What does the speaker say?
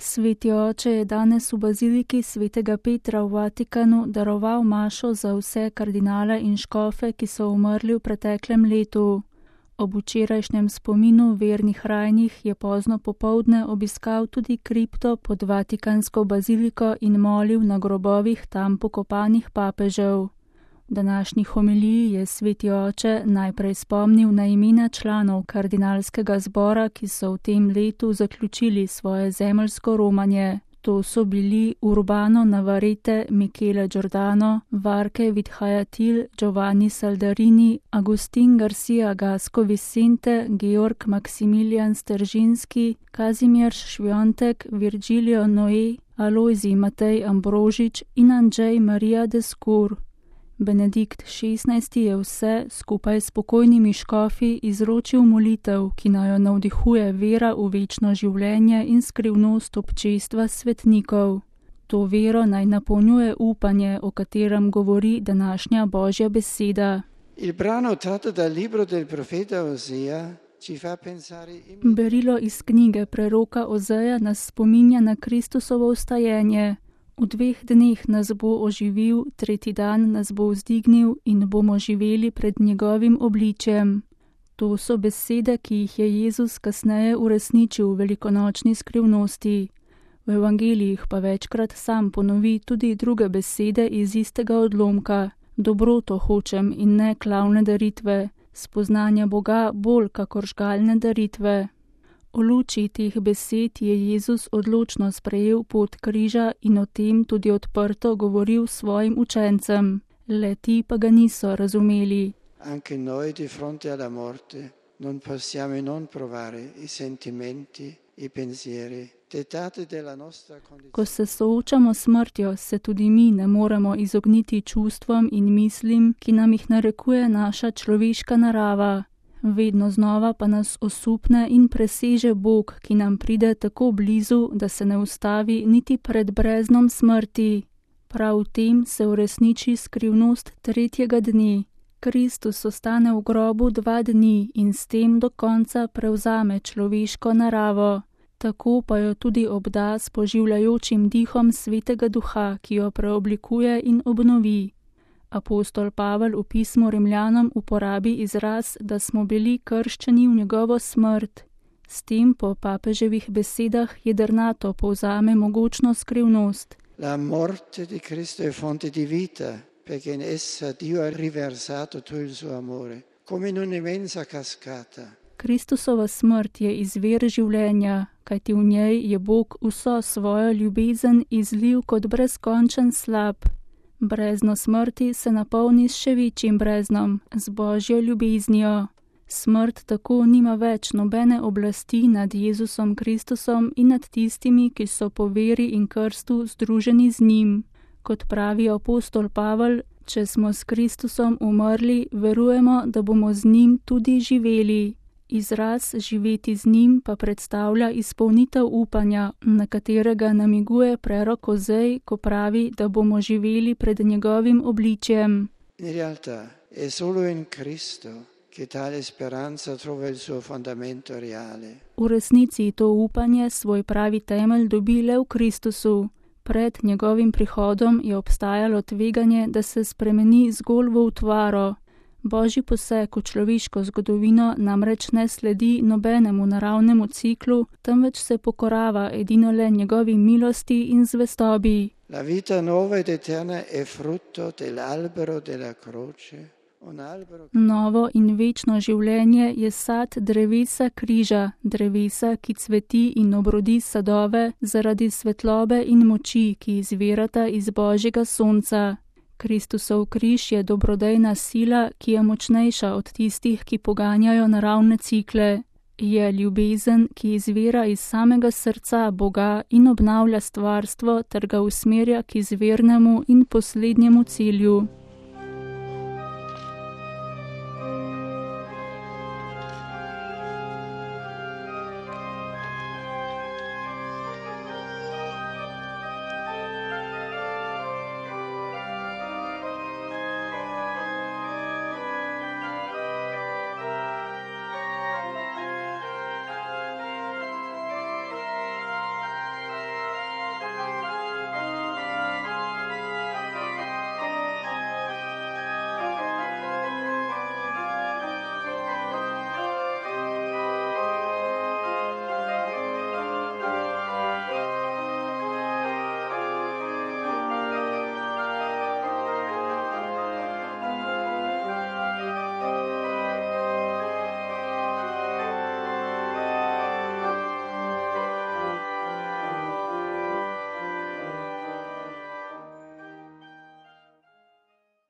Sveti oče je danes v baziliki svetega Petra v Vatikanu daroval mašo za vse kardinale in škofe, ki so umrli v preteklem letu. Ob včerajšnjem spominu vernih rajnih je pozno popoldne obiskal tudi kripto pod Vatikansko baziliko in molil na grobovih tam pokopanih papežev. V današnji homiliji je sveti oče najprej spomnil na imena članov kardinalskega zbora, ki so v tem letu zaključili svoje zemeljsko romanje. To so bili Urbano Navarrete, Michele Giordano, Varke Vithayatil, Giovanni Saldarini, Agustin Garcia Gasco Vicente, Georg Maximilian Steržinski, Kazimierz Švjontek, Virgilio Noé, Alojzij Matej Ambrožič in Andrzej Marija Deskur. Benedikt XVI. Je vse, skupaj s pokojnimi škofi, izročil molitev, ki naj jo navdihuje vera v večno življenje in skrivnost občestva svetnikov. To vero naj napolnjuje upanje, o katerem govori današnja Božja beseda. Il brano tratto dal libro del profeta Osea ci fa pensare Berilo iz knjige preroka Ozeja nas spominja na Kristusovo vstajenje. V 2 dneh nas bo oživil, 3. dan nas bo vzdignil in bomo živeli pred njegovim obličjem. To so besede, ki jih je Jezus kasneje uresničil v velikonočni skrivnosti. V evangelijih pa večkrat sam ponovi tudi druge besede iz istega odlomka. Dobroto hočem in ne klavne daritve, spoznanja Boga bolj kakor žgalne daritve. V luči teh besed je Jezus odločno sprejel pot križa in o tem tudi odprto govoril svojim učencem. Le ti pa ga niso razumeli. Anche noi di fronte alla morte non possiamo non provare i sentimenti, i pensieri, dettati dalla nostra condizione. Ko se soočamo s smrtjo, se tudi mi ne moremo izogniti čustvom in mislim, ki nam jih narekuje naša človeška narava. Vedno znova pa nas osupne in preseže Bog, ki nam pride tako blizu, da se ne ustavi niti pred breznom smrti. Prav v tem se uresniči skrivnost 3. dne. Kristus ostane v grobu 2 dni in s tem do konca prevzame človeško naravo. Tako pa jo tudi obda s poživljajočim dihom Svetega Duha, ki jo preoblikuje in obnovi. Apostol Pavel v pismu Rimljanom uporabi izraz, da smo bili krščeni v njegovo smrt. S tem po papeževih besedah jedrnato povzame mogočno skrivnost. La morte di Cristo è fonte di vita, perché in essa Dio ha riversato tutto il suo amore, come in un'immensa cascata. Kristusova smrt je izvir življenja, kajti v njej je Bog vso svojo ljubezen izlil kot brezkončen slap. Brezno smrti se napolni s še večjim breznom, z Božjo ljubeznijo. Smrt tako nima več nobene oblasti nad Jezusom Kristusom in nad tistimi, ki so po veri in krstu združeni z njim. Kot pravi apostol Pavel, če smo s Kristusom umrli, verujemo, da bomo z njim tudi živeli. Izraz živeti z njim pa predstavlja izpolnitev upanja, na katerega namiguje prerok Ozej, ko pravi, da bomo živeli pred njegovim obličjem. In realtà è solo in Cristo che tale speranza trova il suo fondamento reale. V resnici to upanje svoj pravi temelj dobi le v Kristusu. Pred njegovim prihodom je obstajalo tveganje, da se spremeni zgolj v utvaro. Božji poseg v človeško zgodovino namreč ne sledi nobenemu naravnemu ciklu, temveč se pokorava edino le njegovi milosti in zvestobi. La vita nuova ed eterna è frutto dell'albero della croce. Novo in večno življenje je sad drevesa križa, drevesa, ki cveti in obrodi sadove zaradi svetlobe in moči, ki izvirata iz Božjega sonca. Kristusov križ je dobrodejna sila, ki je močnejša od tistih, ki poganjajo naravne cikle. Je ljubezen, ki izvira iz samega srca Boga in obnavlja stvarstvo ter ga usmerja k izvirnemu in poslednjemu cilju.